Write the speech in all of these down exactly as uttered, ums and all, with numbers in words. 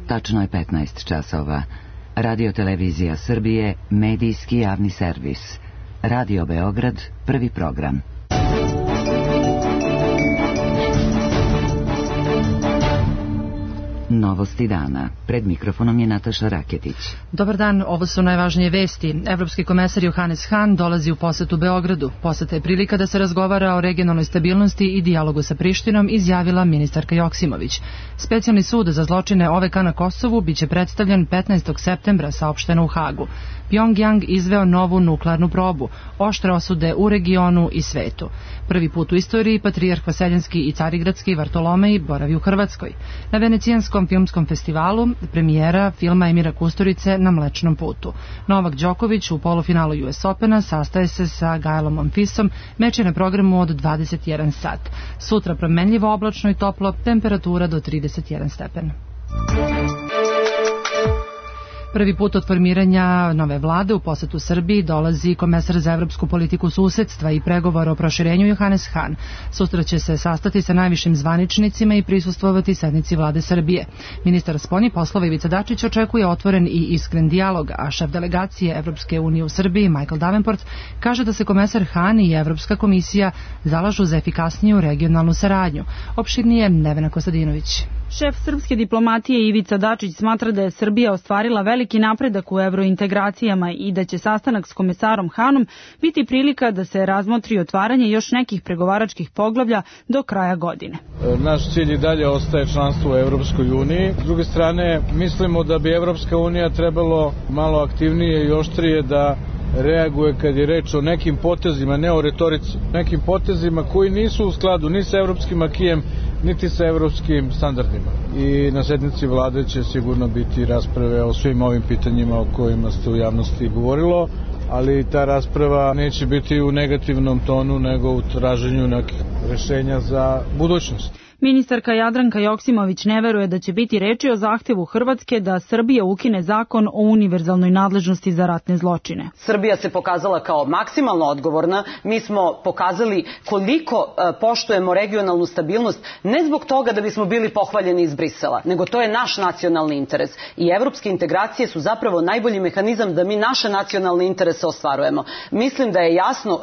Tačno je petnaest časova. Radio Televizija Srbije, medijski javni servis. Radio Beograd, prvi program. Novosti dana. Pred mikrofonom je Nataša Raketić. Dobar dan, ovo su najvažnije vesti. Evropski komesar Johannes Hahn dolazi u posetu Beogradu. Poseta je prilika da se razgovara o regionalnoj stabilnosti i dijalogu sa Prištinom, izjavila ministarka Joksimović. Specijalni sud za zločine O V K na Kosovu biće predstavljen petnaestog septembra, saopšteno u Hagu. Pjongjang izveo novu nuklearnu probu, oštre osude u regionu i svetu. Prvi put u istoriji patrijarh Vaseljenski i Carigradski Vartolomej boravi u Hrvatskoj. Na Venecijanskom filmskom festivalu premijera filma Emira Kusturice Na Mlečnom putu. Novak Đoković u polufinalu U S Opena sastaje se sa Gaelom Monfisom, meč je na programu od dvadeset jedan sat. Sutra promenljivo oblačno i toplo, temperatura do trideset jedan stepen. Prvi put od formiranja nove vlade u posetu Srbiji dolazi komesar za evropsku politiku susedstva i pregovor o proširenju Johannes Hahn. Sutra će se sastati sa najvišim zvaničnicima i prisustvovati sednici vlade Srbije. Ministar spoljnih poslova Ivica Dačić očekuje otvoren i iskren dijalog, a šef delegacije Evropske unije u Srbiji Michael Davenport kaže da se komesar Hahn i Evropska komisija zalažu za efikasniju regionalnu saradnju. Opširnije Nevena Kostadinović. Šef srpske diplomatije Ivica Dačić smatra da je Srbija ostvarila veliki napredak u evrointegracijama i da će sastanak s komesarom Hahnom biti prilika da se razmotri otvaranje još nekih pregovaračkih poglavlja do kraja godine. Naš cilj i dalje ostaje članstvo u Evropskoj uniji. S druge strane, mislimo da bi Evropska unija trebalo malo aktivnije i oštrije da reaguje kad je reč o nekim potezima, ne o retorici, nekim potezima koji nisu u skladu ni sa evropskim akijem, niti sa evropskim standardima. I na sednici vlade će sigurno biti rasprave o svim ovim pitanjima o kojima ste u javnosti govorilo, ali ta rasprava neće biti u negativnom tonu, nego u traženju nekih rešenja za budućnost. Ministarka Jadranka Joksimović ne veruje da će biti reči o zahtevu Hrvatske da Srbija ukine zakon o univerzalnoj nadležnosti za ratne zločine. Srbija se pokazala kao maksimalno odgovorna. Mi smo pokazali koliko poštujemo regionalnu stabilnost, ne zbog toga da bismo bili pohvaljeni iz Brisela, nego to je naš nacionalni interes. I evropske integracije su zapravo najbolji mehanizam da mi naše nacionalne interese ostvarujemo. Mislim da je jasno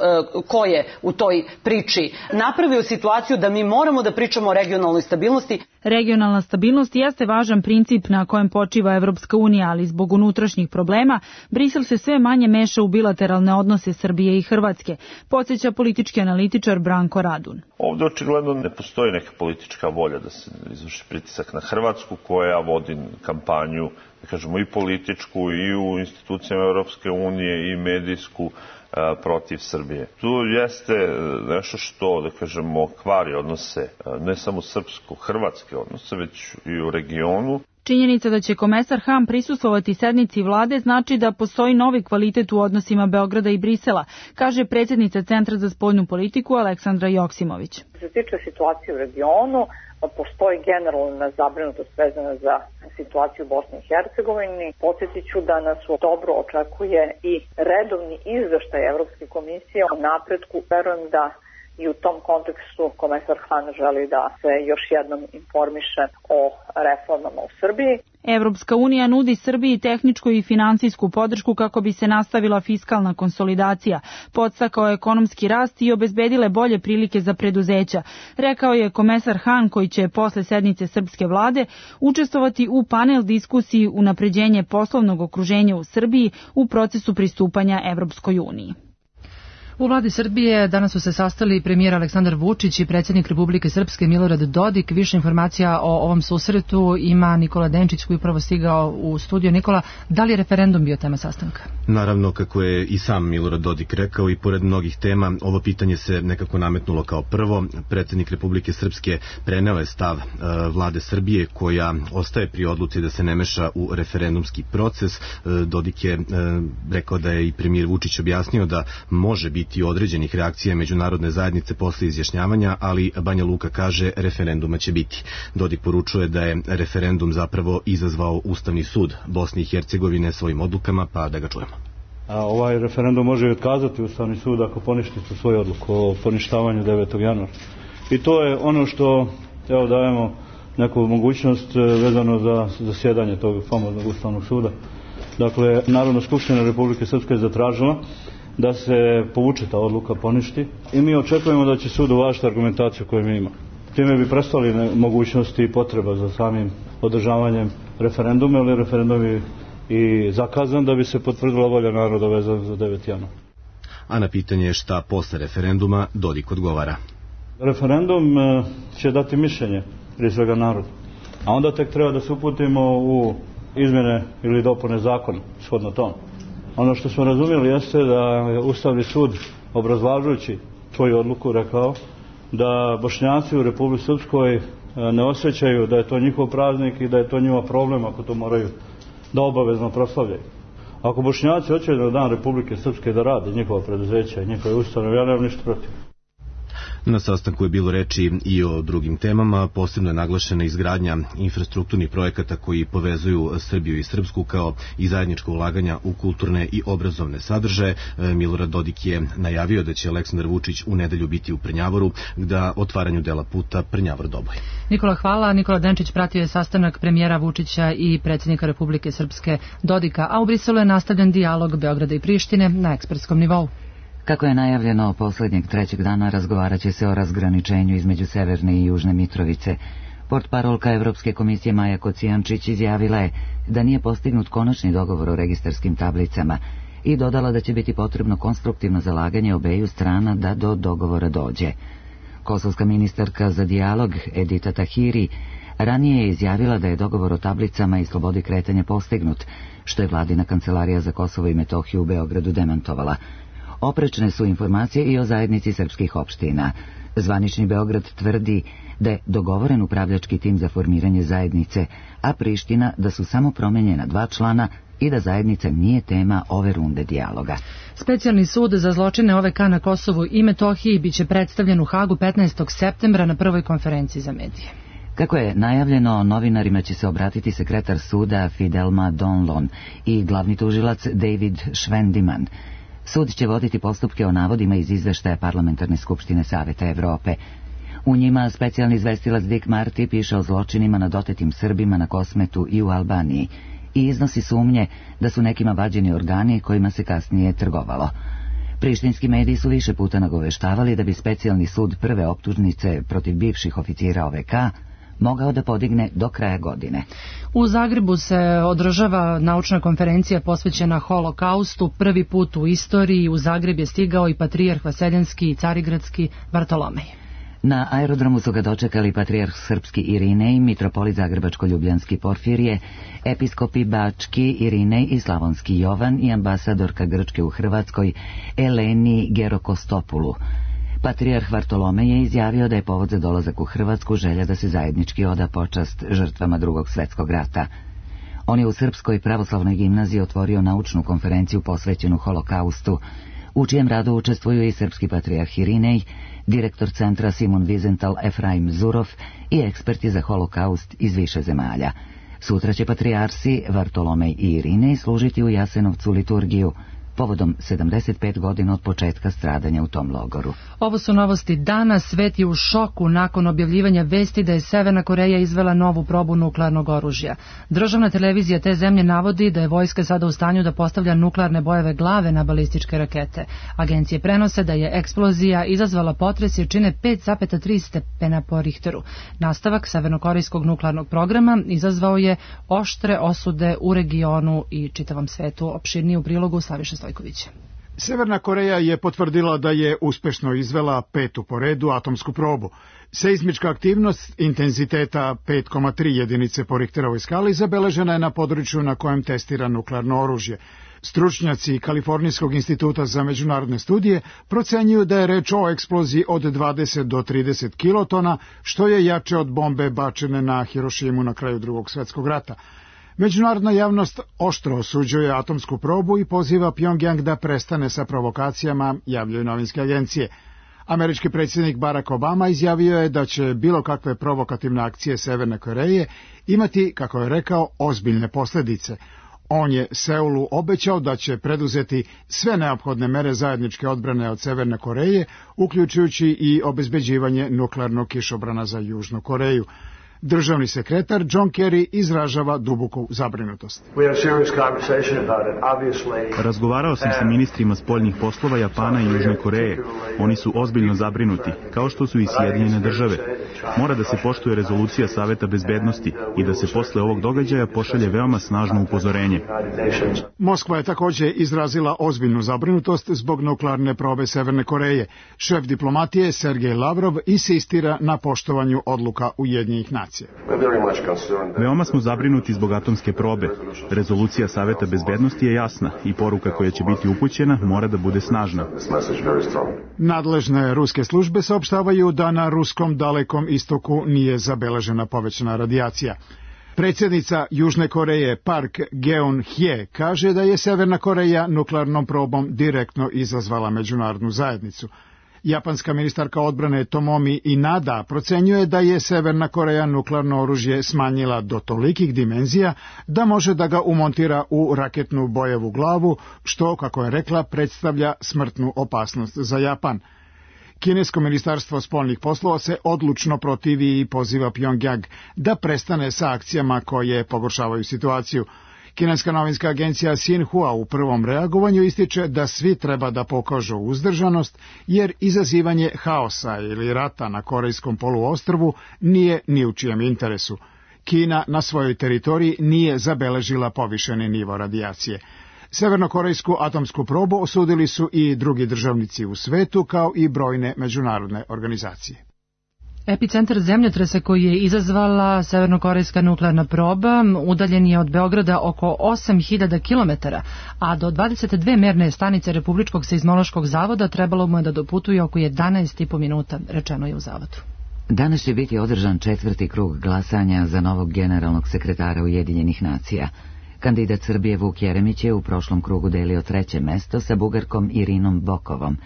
ko je u toj priči napravio situaciju da mi moramo da pričamo o regionalnoj stabilnosti. Regionalna stabilnost jeste važan princip na kojem počiva Evropska unija, ali zbog unutrašnjih problema Brisel se sve manje meša u bilateralne odnose Srbije i Hrvatske, podsjeća politički analitičar Branko Radun. Ovde očigledno ne postoji neka politička volja da se izvrši pritisak na Hrvatsku, koja vodi kampanju, da kažemo, i političku i u institucijama Evropske unije i medijsku protiv Srbije. Tu jeste nešto što, da kažemo, kvari odnose, ne samo srpsko-hrvatske odnose, već i u regionu. Činjenica da će komesar Hahn prisustvovati sednici vlade znači da postoji novi kvalitet u odnosima Beograda i Brisela, kaže predsjednica Centra za spoljnu politiku Aleksandra Joksimović. Što se tiče situacije u regionu, postoji generalna zabrinutost vezana za situaciju u Bosni i Hercegovini. Podsjetit ću da nas dobro očekuje i redovni izveštaj Evropske komisije o napretku. Verujem da i u tom kontekstu komesar Hahn želi da se još jednom informiše o reformama u Srbiji. Evropska unija nudi Srbiji tehničku i finansijsku podršku kako bi se nastavila fiskalna konsolidacija, podstakao ekonomski rast i obezbedile bolje prilike za preduzeća, rekao je komesar Hahn, koji će posle sednice srpske vlade učestvovati u panel diskusiji unapređenje poslovnog okruženja u Srbiji u procesu pristupanja Evropskoj uniji. U vladi Srbije danas su se sastali premijer Aleksandar Vučić i predsjednik Republike Srpske Milorad Dodik. Više informacija o ovom susretu ima Nikola Denčić, koji je upravo stigao u studio. Nikola, da li je referendum bio tema sastanka? Naravno, kako je i sam Milorad Dodik rekao, i pored mnogih tema, ovo pitanje se nekako nametnulo kao prvo. Predsjednik Republike Srpske preneo je stav e, vlade Srbije, koja ostaje pri odluci da se ne meša u referendumski proces. E, Dodik je e, rekao da je i premijer Vučić objasnio da može biti određenih reakcija međunarodne zajednice posle izjašnjavanja, ali Banja Luka kaže referenduma će biti. Dodik poručuje da je referendum zapravo izazvao Ustavni sud Bosne i Hercegovine svojim odlukama, pa da ga čujemo. A ovaj referendum može i otkazati Ustavni sud ako poništi svoju odluku o poništavanju devetog januara. I to je ono što evo dajemo neku mogućnost vezano za zasjedanje tog famoznog Ustavnog suda. Dakle, Narodna skupština Republike Srpske je zatražila da se povuče ta odluka, poništi i mi očekujemo da će sud uvažiti argumentaciju koju mi ima. Time bi prestali mogućnosti i potreba za samim održavanjem referenduma, ili referendum je i zakazan da bi se potvrdila volja naroda vezana za deveti januar. A na pitanje šta posle referenduma Dodik odgovara. Referendum će dati mišljenje prije svega narodu, a onda tek treba da se uputimo u izmjene ili dopune zakona shodno tom. Ono što smo razumjeli jeste da je Ustavni sud, obrazlažući svoju odluku, rekao da Bošnjaci u Republici Srpskoj ne osjećaju da je to njihov praznik i da je to njihov problem ako to moraju da obavezno proslavljaju. Ako Bošnjaci hoće na dan Republike Srpske da rade njihova preduzeća i njihove ustanove, ja nemam ništa protiv. Na sastanku je bilo reči i o drugim temama, posebno je naglašena izgradnja infrastrukturnih projekata koji povezuju Srbiju i Srpsku, kao i zajedničko ulaganja u kulturne i obrazovne sadržaje. Milorad Dodik je najavio da će Aleksandar Vučić u nedelju biti u Prnjavoru da otvaranju dela puta Prnjavor-Doboj. Nikola, hvala. Nikola Denčić pratio je sastanak premijera Vučića i predsjednika Republike Srpske Dodika, a u Briselu je nastavljen dijalog Beograda i Prištine na ekspertskom nivou. Kako je najavljeno, posljednjeg trećeg dana razgovarat će se o razgraničenju između Severne i Južne Mitrovice. Portparolka Evropske komisije Maja Kocijančić izjavila je da nije postignut konačni dogovor o registarskim tablicama i dodala da će biti potrebno konstruktivno zalaganje obeju strana da do dogovora dođe. Kosovska ministarka za dijalog Edita Tahiri ranije je izjavila da je dogovor o tablicama i slobodi kretanja postignut, što je vladina kancelarija za Kosovo i Metohiju u Beogradu demantovala. Oprečne su informacije i o zajednici srpskih opština. Zvanični Beograd tvrdi da je dogovoren upravljački tim za formiranje zajednice, a Priština da su samo promenjena dva člana i da zajednica nije tema ove runde dijaloga. Specijalni sud za zločine O V K na Kosovu i Metohiji biće predstavljen u Hagu petnaestog septembra na prvoj konferenciji za medije. Kako je najavljeno, novinarima će se obratiti sekretar suda Fidelma Donlon i glavni tužilac David Švendiman. Sud će voditi postupke o navodima iz izveštaja Parlamentarne skupštine Saveta Evrope. U njima specijalni izvestilac Dick Marty piše o zločinima nad otetim Srbima na Kosmetu i u Albaniji i iznosi sumnje da su nekima vađeni organi kojima se kasnije trgovalo. Prištinski mediji su više puta nagoveštavali da bi specijalni sud prve optužnice protiv bivših oficira O V K mogao da podigne do kraja godine. U Zagrebu se održava naučna konferencija posvećena Holokaustu. Prvi put u istoriji u Zagreb je stigao i patrijarh Vaseljenski i Carigradski Vartolomej. Na aerodromu su ga dočekali patrijarh Srpski Irinej, mitropolit Zagrebačko-Ljubljanski Porfirije, episkopi Bački Irinej i Slavonski Jovan i ambasadorka Grčke u Hrvatskoj Eleni Gerokostopulu. Patrijarh Vartolomej je izjavio da je povod za dolazak u Hrvatsku želja da se zajednički oda počast žrtvama Drugog svjetskog rata. On je u Srpskoj pravoslavnoj gimnaziji otvorio naučnu konferenciju posvećenu Holokaustu, u čijem radu učestvuju i srpski patrijarh Irinej, direktor centra Simon Wiesenthal Efraim Zurov i eksperti za Holokaust iz više zemalja. Sutra će patrijarsi Vartolomej i Irinej služiti u Jasenovcu liturgiju, povodom sedamdeset pet godina od početka stradanja u tom logoru. Ovo su novosti dana. Svet je u šoku nakon objavljivanja vesti da je Severna Koreja izvela novu probu nuklearnog oružja. Državna televizija te zemlje navodi da je vojska sada u stanju da postavlja nuklearne bojeve glave na balističke rakete. Agencije prenose da je eksplozija izazvala potres jačine pet zarez tri stepena po Richteru. Nastavak severnokorejskog nuklearnog programa izazvao je oštre osude u regionu i čitavom svetu. Opširnije u prilogu Slaviša Stojković. Severna Koreja je potvrdila da je uspešno izvela petu po redu atomsku probu. Seizmička aktivnost intenziteta pet zarez tri jedinice po Richterovoj skali zabeležena je na području na kojem testira nuklearno oružje. Stručnjaci Kalifornijskog instituta za međunarodne studije procenjuju da je reč o eksploziji od dvadeset do trideset kilotona, što je jače od bombe bačene na Hirošimu na kraju Drugog svjetskog rata. Međunarodna javnost oštro osuđuje atomsku probu i poziva Pjongjang da prestane sa provokacijama, javljaju novinske agencije. Američki predsjednik Barack Obama izjavio je da će bilo kakve provokativne akcije Severne Koreje imati, kako je rekao, ozbiljne posljedice. On je Seulu obećao da će preduzeti sve neophodne mere zajedničke odbrane od Severne Koreje, uključujući i obezbeđivanje nuklearnog kišobrana za Južnu Koreju. Državni sekretar John Kerry izražava duboku zabrinutost. Razgovarao sam sa ministrima spoljnih poslova Japana i Južne Koreje. Oni su ozbiljno zabrinuti, kao što su i Sjedinjene države. Mora da se poštuje rezolucija Saveta bezbednosti i da se posle ovog događaja pošalje veoma snažno upozorenje. Moskva je također izrazila ozbiljnu zabrinutost zbog nuklearne probe Severne Koreje. Šef diplomatije Sergej Lavrov insistira na poštovanju odluka Ujedinjenih nacija. Veoma smo zabrinuti zbog atomske probe. Rezolucija Saveta bezbednosti je jasna i poruka koja će biti upućena mora da bude snažna. Nadležne ruske službe saopštavaju da na ruskom dalekom istoku nije zabeležena povećana radijacija. Predsjednica Južne Koreje Park Geun-hye kaže da je Severna Koreja nuklearnom probom direktno izazvala međunarodnu zajednicu. Japanska ministarka odbrane Tomomi Inada procenjuje da je Severna Koreja nuklearno oružje smanjila do tolikih dimenzija da može da ga umontira u raketnu bojevu glavu, što, kako je rekla, predstavlja smrtnu opasnost za Japan. Kinesko ministarstvo spoljnih poslova se odlučno protivi i poziva Pjongjang da prestane sa akcijama koje pogoršavaju situaciju. Kineska novinska agencija Xinhua u prvom reagovanju ističe da svi treba da pokažu uzdržanost, jer izazivanje haosa ili rata na Korejskom poluostrvu nije ni u čijem interesu. Kina na svojoj teritoriji nije zabeležila povišeni nivo radijacije. Severnokorejsku atomsku probu osudili su i drugi državnici u svetu, kao i brojne međunarodne organizacije. Epicentar zemljotresa koji je izazvala severnokorejska nuklearna proba udaljen je od Beograda oko osam hiljada kilometara, a do dvadeset dve merne stanice Republičkog seizmološkog zavoda trebalo mu je da doputuje oko jedanaest i po minuta, rečeno je u zavodu. Danas će biti održan četvrti krug glasanja za novog generalnog sekretara Ujedinjenih nacija. Kandidat Srbije Vuk Jeremić je u prošlom krugu delio treće mesto sa Bugarkom Irinom Bokovom.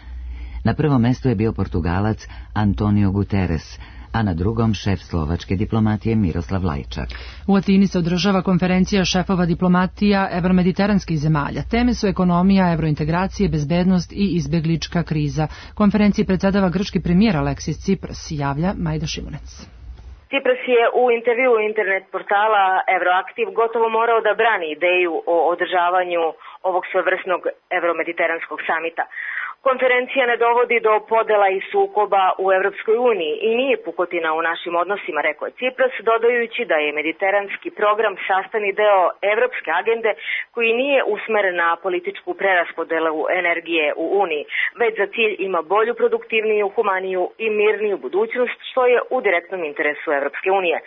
Na prvom mestu je bio Portugalac Antonio Guterres, a na drugom šef slovačke diplomatije Miroslav Lajčak. U Atini se održava konferencija šefova diplomatija evromediteranskih zemalja. Teme su ekonomija, evrointegracije, bezbednost i izbeglička kriza. Konferenciji predsedava grčki premijer Aleksis Tsipras, javlja Majda Šimunec. Tsipras je u intervju internet portala Euroaktiv gotovo morao da brani ideju o održavanju ovog svevrsnog evromediteranskog samita. Konferencija ne dovodi do podela i sukoba u Evropskoj uniji i nije pukotina u našim odnosima, rekao je Tsipras, dodajući da je mediteranski program sastavni deo evropske agende koji nije usmeren na političku preraspodelu energije u Uniji, već za cilj ima bolju, produktivniju, humaniju i mirniju budućnost, što je u direktnom interesu Evropske unije.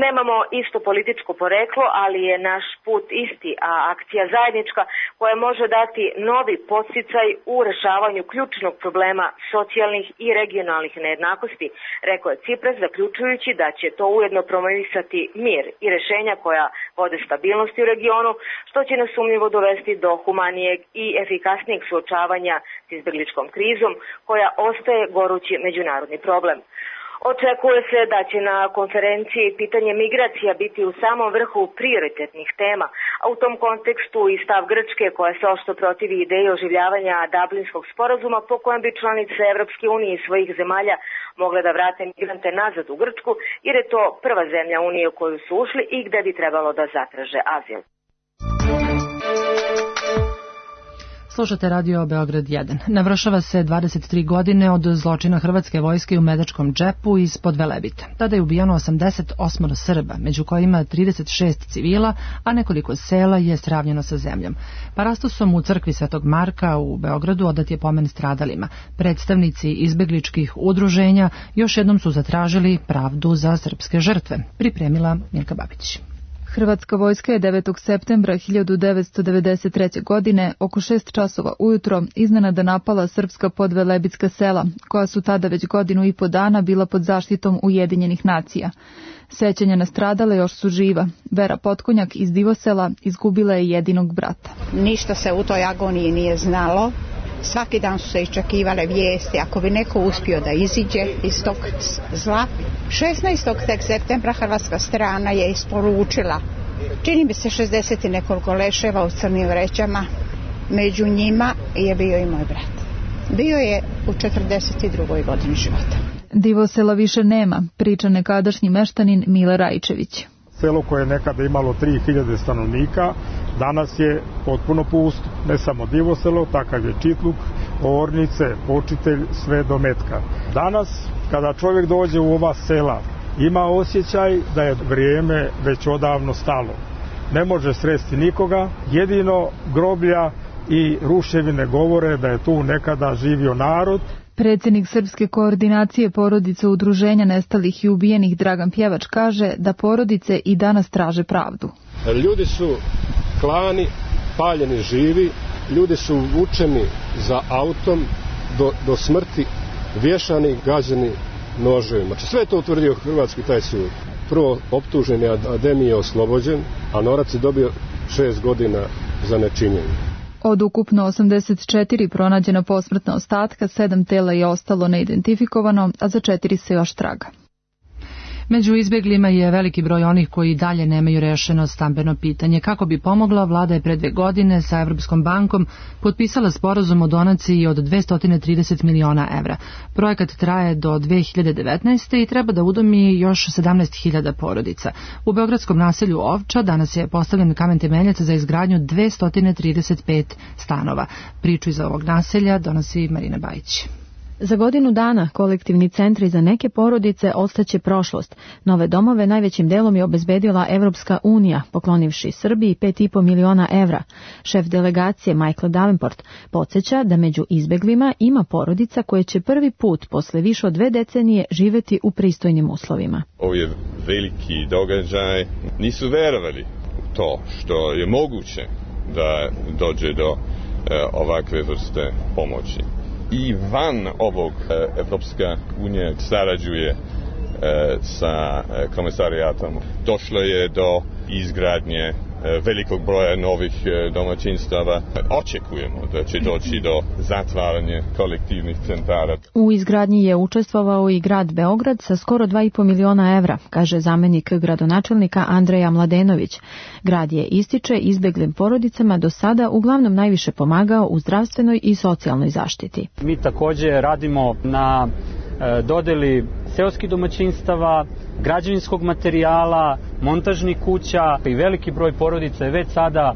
Nemamo isto političko poreklo, ali je naš put isti, a akcija zajednička koja može dati novi podsticaj u rešavanju ključnog problema socijalnih i regionalnih nejednakosti, rekao je Tsipras, zaključujući da će to ujedno promovisati mir i rešenja koja vode stabilnosti u regionu, što će nesumnjivo dovesti do humanijeg i efikasnijeg suočavanja s izbegličkom krizom, koja ostaje gorući međunarodni problem. Očekuje se da će na konferenciji pitanje migracija biti u samom vrhu prioritetnih tema, a u tom kontekstu i stav Grčke, koja se oštro protivi ideji oživljavanja Dublinskog sporazuma po kojem bi članice Evropske unije i svojih zemalja mogle da vrate migrante nazad u Grčku, jer je to prva zemlja Unije u koju su ušli i gde bi trebalo da zatraže azil. Slušate radio Beograd jedan. Navršava se dvadeset tri godine od zločina hrvatske vojske u Medačkom džepu ispod Velebita. Tada je ubijano osamdeset osam Srba, među kojima trideset šest civila, a nekoliko sela je sravnjeno sa zemljom. Parastosom u crkvi Svetog Marka u Beogradu odat je pomen stradalima. Predstavnici izbegličkih udruženja još jednom su zatražili pravdu za srpske žrtve. Pripremila Milka Babić. Hrvatska vojska je devetog septembra hiljadu devetsto devedeset treće. godine oko šest časova ujutro iznenada napala srpska podvelebitska sela, koja su tada već godinu i po dana bila pod zaštitom Ujedinjenih nacija. Sećanja na stradale još su živa. Vera Potkonjak iz Divosela izgubila je jedinog brata. Ništa se u toj agoniji nije znalo. Svaki dan su se iščekivale vijesti ako bi neko uspio da iziđe iz tog zla. šesnaestog septembra hrvatska strana je isporučila, čini mi se šezdeset i nekoliko leševa u crnim vrećama. Među njima je bio i moj brat. Bio je u četrdeset drugoj godini života. Divosela više nema, priča nekadašnji meštanin Mile Rajčević. Selo koje je nekada imalo tri hiljade stanovnika, danas je potpuno pusto. Ne samo Divoselo, takav je Čitluk, Ornice, Počitelj, sve do Metka. Danas, kada čovjek dođe u ova sela, ima osjećaj da je vrijeme već odavno stalo. Ne može sresti nikoga, jedino groblja i ruševine govore da je tu nekada živio narod. Predsjednik Srpske koordinacije porodice udruženja nestalih i ubijenih Dragan Pjevač kaže da porodice i danas traže pravdu. Ljudi su klani, paljeni živi, ljudi su vučeni za autom do, do smrti, vješani, gađani noževima. Znači, sve je to utvrdio hrvatski taj sud. Prvo optuženi Ademi je oslobođen, a Norac je dobio šest godina za nečinjenje. Od ukupno osamdeset četiri pronađena posmrtna ostatka, sedam tela je ostalo neidentifikovano, a za četiri se još traga. Među izbjeglima je veliki broj onih koji dalje nemaju rešeno stambeno pitanje. Kako bi pomogla, vlada je pre dve godine sa Evropskom bankom potpisala sporazum o donaciji od dvesta trideset miliona evra. Projekat traje do dve hiljade devetnaeste. i treba da udomi još sedamnaest hiljada porodica. U beogradskom naselju Ovča danas je postavljen kamen temeljac za izgradnju dvesta trideset pet stanova. Priču iz ovog naselja donosi Marina Bajić. Za godinu dana kolektivni centri za neke porodice ostaće prošlost. Nove domove najvećim delom je obezbedila Evropska unija, poklonivši Srbiji pet i po miliona evra. Šef delegacije Michael Davenport podsjeća da među izbeglima ima porodica koje će prvi put posle više od dve decenije živeti u pristojnim uslovima. Ovo je veliki događaj. Nisu verovali u to što je moguće da dođe do e, ovakve vrste pomoći. I van ovog Evropska unija sarađuje sa komisarijatom. Došlo je do izgradnje velikog broja novih domaćinstava. Očekujemo da će doći do zatvaranja kolektivnih centara. U izgradnji je učestvovao i grad Beograd sa skoro dva i po miliona evra, kaže zamenik gradonačelnika Andreja Mladenović. Grad je, ističe, izbeglim porodicama do sada uglavnom najviše pomagao u zdravstvenoj i socijalnoj zaštiti. Mi također radimo na dodeli seoskih domaćinstava, građevinskog materijala, montažnih kuća i veliki broj porodica je već sada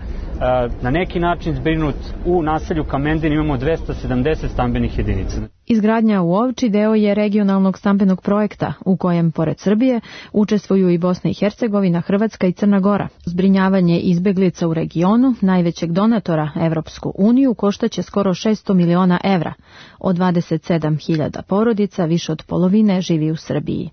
na neki način zbrinut. U naselju Kamendin imamo dvesta sedamdeset stambenih jedinica. Izgradnja u Ovči deo je regionalnog stambenog projekta u kojem, pored Srbije, učestvuju i Bosna i Hercegovina, Hrvatska i Crna Gora. Zbrinjavanje izbeglica u regionu, najvećeg donatora Evropsku uniju, koštaće skoro šesto miliona evra. Od dvadeset sedam hiljada porodica više od polovine živi u Srbiji.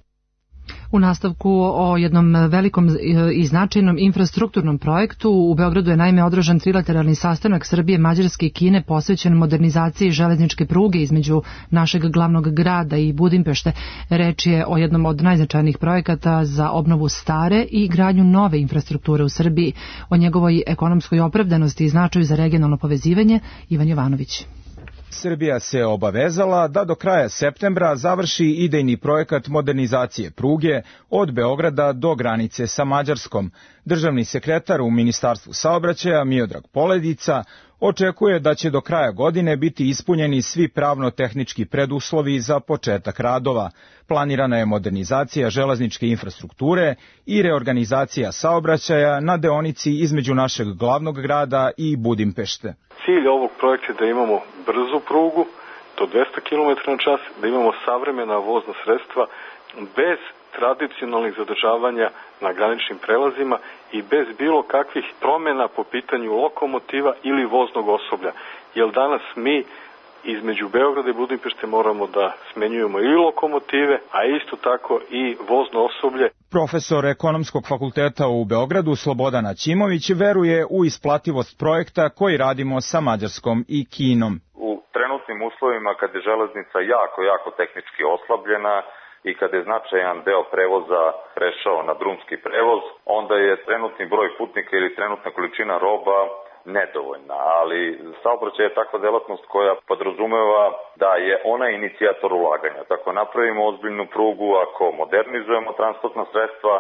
U nastavku o jednom velikom i značajnom infrastrukturnom projektu u Beogradu je naime održan trilateralni sastanak Srbije, Mađarske i Kine posvećen modernizaciji železničke pruge između našeg glavnog grada i Budimpešte. Reč je o jednom od najznačajnijih projekata za obnovu stare i gradnju nove infrastrukture u Srbiji. O njegovoj ekonomskoj opravdanosti i značaju za regionalno povezivanje Ivan Jovanović. Srbija se obavezala da do kraja septembra završi idejni projekat modernizacije pruge od Beograda do granice sa Mađarskom. Državni sekretar u Ministarstvu saobraćaja Miodrag Poledica očekuje da će do kraja godine biti ispunjeni svi pravno-tehnički preduslovi za početak radova. Planirana je modernizacija železničke infrastrukture i reorganizacija saobraćaja na deonici između našeg glavnog grada i Budimpešte. Cilj ovog projekta je da imamo brzu prugu do dvesta kilometara na čas, da imamo savremena vozna sredstva bez tradicionalnih zadržavanja na graničnim prelazima i bez bilo kakvih promjena po pitanju lokomotiva ili voznog osoblja. Jer danas mi između Beograda i Budimpešte moramo da smenjujemo i lokomotive, a isto tako i vozno osoblje. Profesor Ekonomskog fakulteta u Beogradu Slobodan Aćimović veruje u isplativost projekta koji radimo sa Mađarskom i Kinom. U trenutnim uslovima kad je železnica jako, jako tehnički oslabljena i kada je značajan deo prevoza prešao na drumski prevoz, onda je trenutni broj putnika ili trenutna količina roba nedovoljna, ali saobraćaj je takva delatnost koja podrazumeva da je ona inicijator ulaganja. Tako napravimo ozbiljnu prugu, ako modernizujemo transportna sredstva,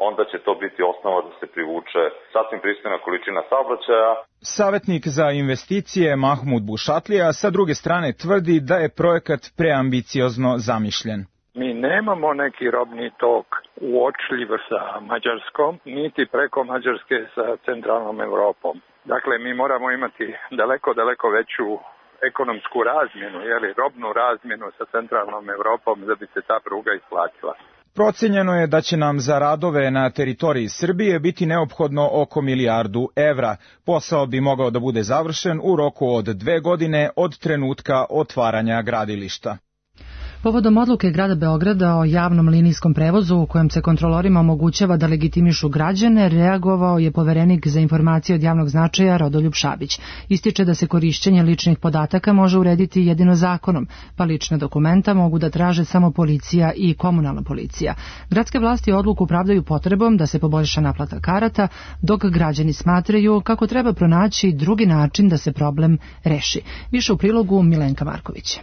onda će to biti osnova da se privuče sasvim pristojna količina saobraćaja. Savetnik za investicije Mahmud Bušatlija sa druge strane tvrdi da je projekat preambiciozno zamišljen. Mi nemamo neki robni tok uočljiv sa Mađarskom, niti preko Mađarske sa centralnom Evropom. Dakle, mi moramo imati daleko, daleko veću ekonomsku razmjenu, jeli, robnu razmjenu sa centralnom Evropom da bi se ta pruga isplatila. Procenjeno je da će nam za radove na teritoriji Srbije biti neophodno oko milijardu evra. Posao bi mogao da bude završen u roku od dve godine od trenutka otvaranja gradilišta. Povodom odluke grada Beograda o javnom linijskom prevozu u kojem se kontrolorima omogućava da legitimišu građane, reagovao je poverenik za informacije od javnog značaja Rodoljub Šabić. Ističe da se korišćenje ličnih podataka može urediti jedino zakonom, pa lična dokumenta mogu da traže samo policija i komunalna policija. Gradske vlasti odluku pravdaju potrebom da se poboljša naplata karata, dok građani smatraju kako treba pronaći drugi način da se problem reši. Više u prilogu Milenka Marković.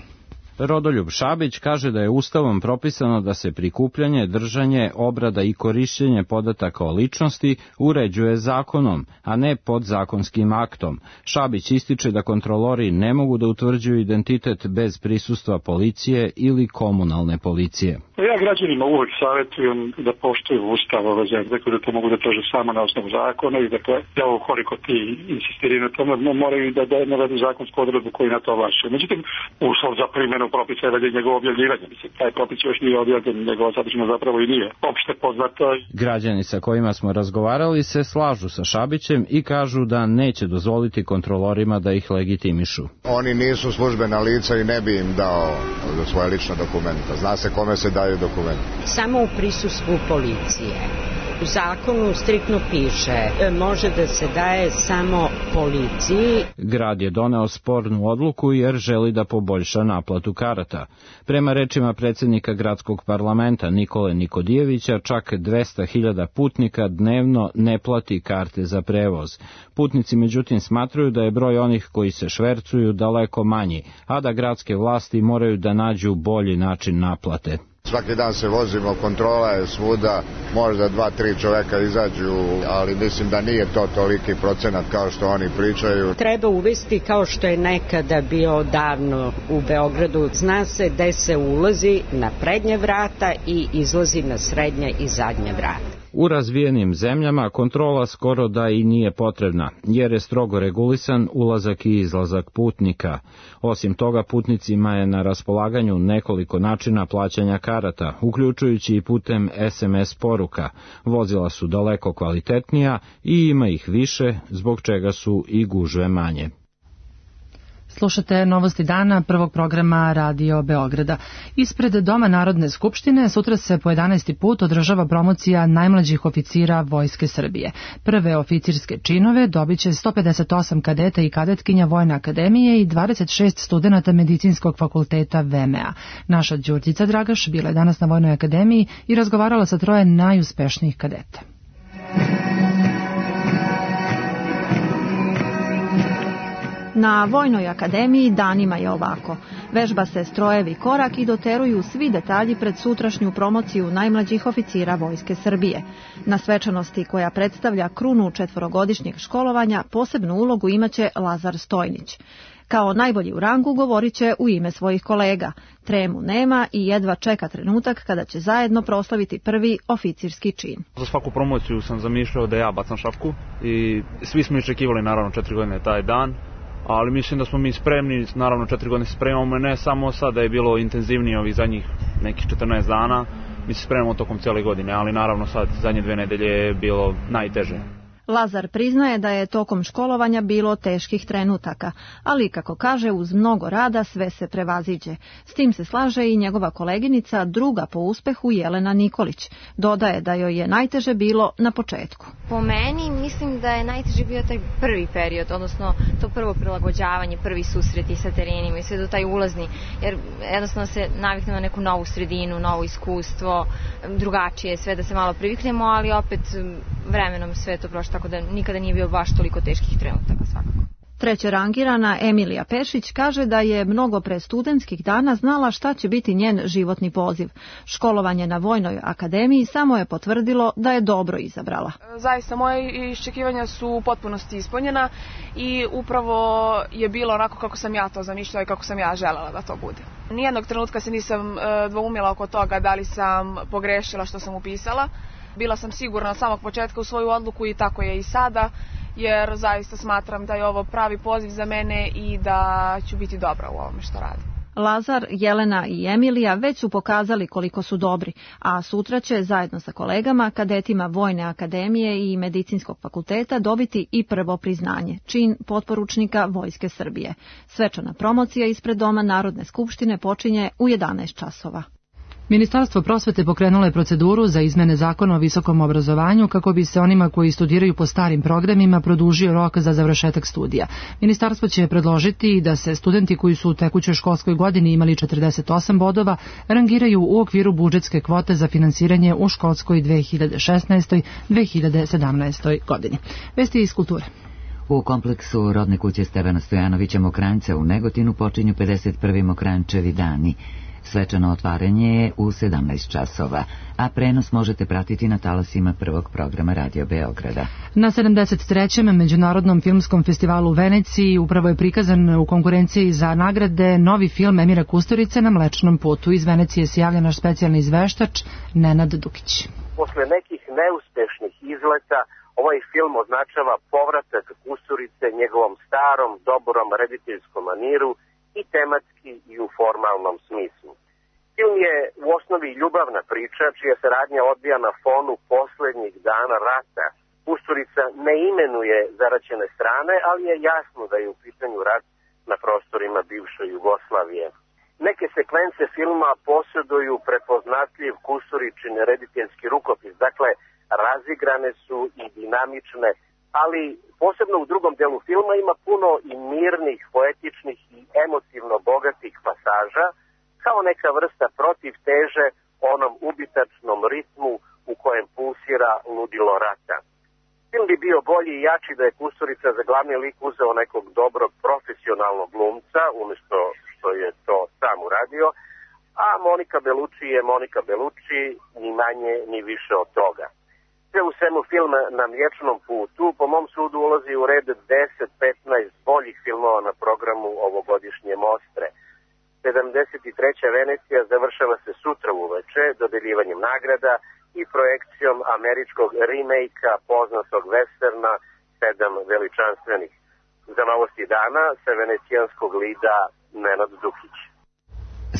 Rodoljub Šabić kaže da je Ustavom propisano da se prikupljanje, držanje, obrada i korišćenje podataka o ličnosti uređuje zakonom, a ne podzakonskim aktom. Šabić ističe da kontrolori ne mogu da utvrđuju identitet bez prisustva policije ili komunalne policije. Ja građanima uvek savjetujem da poštuju Ustav ove zemlje, dakle da to mogu da traže samo na osnovu zakona i dakle, ja ukoliko ti insistiraju na tome, moraju da navedu zakonsku odredbu koji na to ovlašćuje. Međutim, uslov za primjenu propisa je njegovo objavljivanje. Mislim, taj propis još nije objavljen, njegova sadržina zapravo i nije opšte poznata. Građani sa kojima smo razgovarali se slažu sa Šabićem i kažu da neće dozvoliti kontrolorima da ih legitimišu. Oni nisu službena lica i ne bi im dao svoje lična dokumenta. Zna se kome se daju dokumenti. Samo u prisustvu policije. U zakonu striktno piše, može da se daje samo policiji. Grad je doneo spornu odluku jer želi da poboljša naplatu karata. Prema rečima predsjednika gradskog parlamenta Nikole Nikodijevića, čak dvesta hiljada putnika dnevno ne plati karte za prevoz. Putnici međutim smatruju da je broj onih koji se švercuju daleko manji, a da gradske vlasti moraju da nađu bolji način naplate. Svaki dan se vozimo, kontrola je svuda, možda dva, tri čoveka izađu, ali mislim da nije to toliki procenat kao što oni pričaju. Treba uvesti kao što je nekada bio davno u Beogradu. Zna se gde se ulazi na prednje vrata i izlazi na srednje i zadnje vrata. U razvijenim zemljama kontrola skoro da i nije potrebna, jer je strogo regulisan ulazak i izlazak putnika. Osim toga, putnicima je na raspolaganju nekoliko načina plaćanja karata, uključujući i putem es em es poruka. Vozila su daleko kvalitetnija i ima ih više, zbog čega su i gužve manje. Slušate novosti dana prvog programa Radio Beograda. Ispred Doma Narodne skupštine sutra se po jedanaesti put održava promocija najmlađih oficira Vojske Srbije. Prve oficirske činove dobit će sto pedeset osam kadeta i kadetkinja Vojne akademije i dvadeset šest studenata Medicinskog fakulteta ve em a. Naša Đurđica Dragaš bila je danas na Vojnoj akademiji i razgovarala sa troje najuspešnijih kadeta. Na Vojnoj akademiji danima je ovako. Vežba se strojevi korak i doteruju svi detalji pred sutrašnju promociju najmlađih oficira Vojske Srbije. Na svečanosti koja predstavlja krunu četvorogodišnjeg školovanja posebnu ulogu imaće Lazar Stojnić. Kao najbolji u rangu govorit će u ime svojih kolega. Tremu nema i jedva čeka trenutak kada će zajedno proslaviti prvi oficirski čin. Za svaku promociju sam zamišljao da ja bacam šapku i svi smo iščekivali naravno četiri godine taj dan. Ali mislim da smo mi spremni, naravno četiri godine se spremamo, ne samo sad da je bilo intenzivnije ovih zadnjih nekih četrnaest dana, mi se spremamo tokom cijele godine, ali naravno sad zadnje dve nedelje je bilo najteže. Lazar priznaje da je tokom školovanja bilo teških trenutaka, ali kako kaže uz mnogo rada sve se prevaziđe. S tim se slaže i njegova koleginica, druga po uspehu Jelena Nikolić. Dodaje da joj je najteže bilo na početku. Po meni mislim da je najteže bio taj prvi period, odnosno to prvo prilagođavanje, prvi susreti sa terenima i sve do taj ulazni, jer jednostavno se naviknemo na neku novu sredinu, novo iskustvo, drugačije sve da se malo priviknemo, ali opet vremenom sve to prošlo, tako da nikada nije bio baš toliko teških trenutaka svakako. Treće rangirana Emilija Pešić kaže da je mnogo pre studentskih dana znala šta će biti njen životni poziv. Školovanje na Vojnoj akademiji samo je potvrdilo da je dobro izabrala. Zaista moje iščekivanja su u potpunosti ispunjena i upravo je bilo onako kako sam ja to zamišljala i kako sam ja želela da to bude. Nijednog trenutka se nisam dvoumila oko toga da li sam pogrešila što sam upisala. Bila sam sigurna od samog početka u svoju odluku i tako je i sada, jer zaista smatram da je ovo pravi poziv za mene i da ću biti dobra u ovome što radim. Lazar, Jelena i Emilija već su pokazali koliko su dobri, a sutra će zajedno sa kolegama, kadetima Vojne akademije i Medicinskog fakulteta dobiti i prvo priznanje, čin potporučnika Vojske Srbije. Svečana promocija ispred Doma Narodne skupštine počinje u jedanaest časova. Ministarstvo prosvete pokrenulo je proceduru za izmene zakona o visokom obrazovanju kako bi se onima koji studiraju po starim programima produžio rok za završetak studija. Ministarstvo će predložiti da se studenti koji su u tekućoj školskoj godini imali četrdeset osam bodova rangiraju u okviru budžetske kvote za finansiranje u školskoj dve hiljade šesnaestoj dve hiljade sedamnaestoj godini. Vesti iz kulture. U kompleksu rodne kuće Stevana Stojanovića Mokranjca u Negotinu počinju pedeset prvi Mokranjčevi dani. Svečano otvaranje je u sedamnaest časova, a prenos možete pratiti na talasima prvog programa Radio Beograda. Na sedamdeset trećem Međunarodnom filmskom festivalu u Veneciji upravo je prikazan u konkurenciji za nagrade novi film Emira Kusturice Na Mlečnom putu. Iz Venecije se javlja naš specijalni izveštač Nenad Dukić. Posle nekih neuspešnih izleta, ovaj film označava povratak Kusturice njegovom starom, dobrom rediteljskom maniru i tematski i u formalnom smislu. Film je u osnovi ljubavna priča čija se radnja odvija na fonu poslednjih dana rata. Kusturica ne imenuje zaraćene strane, ali je jasno da je u pitanju rat na prostorima bivše Jugoslavije. Neke sekvence filma posjeduju prepoznatljiv Kusturičin rediteljski rukopis, dakle razigrane su i dinamične, ali posebno u drugom delu filma ima puno i mirnih, poetičnih i emotivno bogatih pasaža, kao neka vrsta protivteže onom ubitačnom ritmu u kojem pulsira ludilo rata. Film bi bio bolji i jači da je Kusturica za glavni lik uzeo nekog dobrog profesionalnog glumca, umjesto što je to sam uradio, a Monika Bellucci je Monika Bellucci, ni manje ni više od toga. Sve u svemu film Na mliječnom putu po mom sudu ulazi u red deset do petnaest boljih filmova na programu ovogodišnje Mostre. sedamdeset treća Venecija završava se sutra uveče dodeljivanjem nagrada i projekcijom američkog remake-a poznatog westerna Sedam veličanstvenih. Za novosti dana sa venecijanskog lida Nenad Dukić.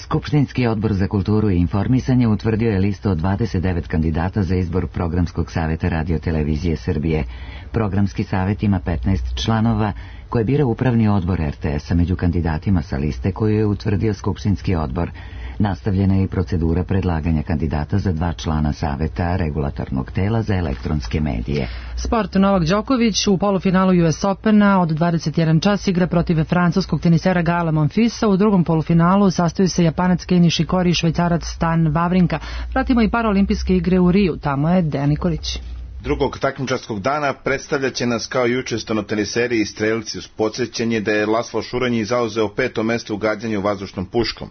Skupštinski odbor za kulturu i informisanje utvrdio je listu od dvadeset devet kandidata za izbor Programskog saveta Radio-televizije Srbije. Programski savet ima petnaest članova koje bira upravni odbor er te es-a među kandidatima sa liste koju je utvrdio Skupštinski odbor. Nastavljena je i procedura predlaganja kandidata za dva člana saveta regulatornog tela za elektronske medije. Sport. Novak Đoković u polufinalu U S Opena od dvadeset jedan čas igra protiv francuskog tenisera Gaela Monfilsa. U drugom polufinalu sastoji se Japanac Kei Nishikori i Švajcarac Stan Wawrinka. Pratimo i paraolimpijske igre u Riju. Tamo je Dejan Nikolić. Drugog takmičarskog dana predstavljaće nas kao juče stonoteniseri i strelci uz podsjećanje da je Laslo Šuranji zauzeo peto mesto u gađanju vazdušnom puškom.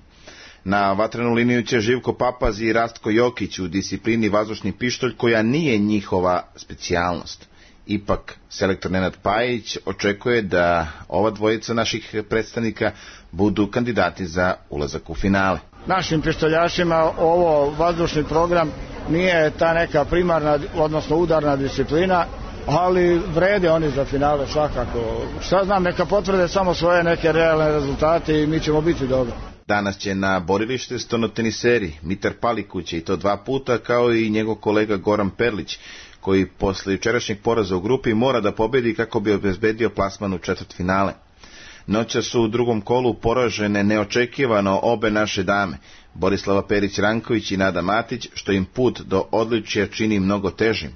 Na vatrenu liniju će Živko Papaz i Rastko Jokić u disciplini vazdušni pištolj koja nije njihova specijalnost. Ipak, selektor Nenad Pajić očekuje da ova dvojica naših predstavnika budu kandidati za ulazak u finale. Našim pištoljašima ovo vazdušni program nije ta neka primarna, odnosno udarna disciplina, ali vrede oni za finale svakako. Šta znam, neka potvrde samo svoje neke realne rezultate i mi ćemo biti dobro. Danas će na borilište stonoteniseri Mitar Palikuć i to dva puta, kao i njegov kolega Goran Perlić, koji posle jučerašnjeg poraza u grupi mora da pobedi kako bi obezbedio plasman u četvrtfinale. Noća su u drugom kolu poražene neočekivano obe naše dame, Borislava Perić-Ranković i Nada Matić, što im put do odličja čini mnogo težim.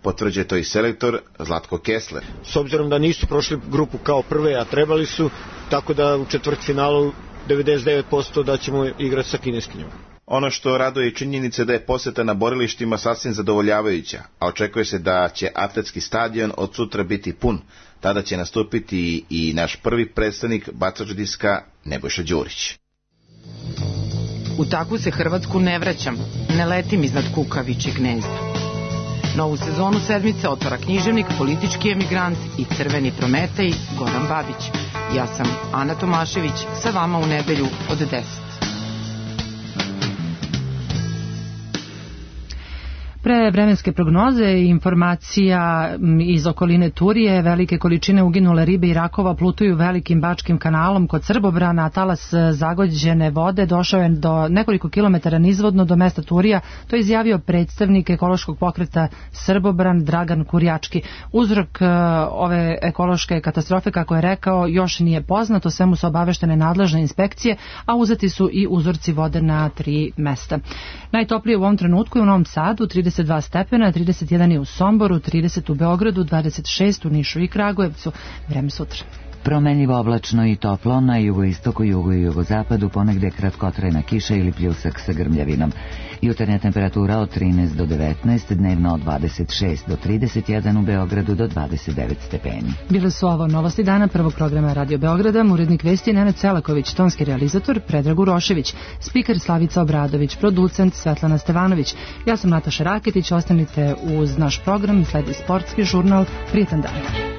Potvrđuje to i selektor Zlatko Kessler. S obzirom da nisu prošli grupu kao prve, a trebali su, tako da u četvrtfinalu devedeset devet posto da ćemo igrati sa kineskinjom. Ono što raduje i činjenica da je poseta na borilištima sasvim zadovoljavajuća, a očekuje se da će atletski stadion od sutra biti pun. Tada će nastupiti i naš prvi predstavnik bacač diska Nebojša Đurić. U takvu se Hrvatsku ne vraćam, ne letim iznad kukavičjeg gnezda. Novu sezonu sedmice otvara književnik, politički emigrant i crveni Prometej Goran Babić. Ja sam Ana Tomašević, sa vama u nedelju od deset. Pre vremenske prognoze i informacija iz okoline Turije, velike količine uginule ribe i rakova plutuju velikim Bačkim kanalom kod Srbobrana, a talas zagođene vode došao je do nekoliko kilometara nizvodno do mesta Turija. To je izjavio predstavnik ekološkog pokreta Srbobran Dragan Kurjački. Uzrok ove ekološke katastrofe, kako je rekao, još nije poznat, o svemu su obaveštene nadležne inspekcije, a uzeti su i uzorci vode na tri mesta. Najtoplije u ovom trenutku je u Novom Sadu, trideset dva stepena, trideset jedan je u Somboru, trideset u Beogradu, dvadeset šest u Nišu i Kragujevcu. Vreme sutra. Promenljivo oblačno i toplo, na jugoistoku, jugu i jugozapadu ponegde kratkotrajna kiša ili pljusak sa grmljavinom. Jutarnja temperatura od trinaest do devetnaest, dnevno od dvadeset šest do trideset jedan, u Beogradu do dvadeset devet stepeni. Bile su ovo novosti dana prvog programa Radio Beograda, urednik vesti Nenad Selaković, tonski realizator Predrag Urošević, spiker Slavica Obradović, producent Svetlana Stevanović. Ja sam Nataša Raketić, ostanite uz naš program, sledi sportski žurnal. Prijetan dan.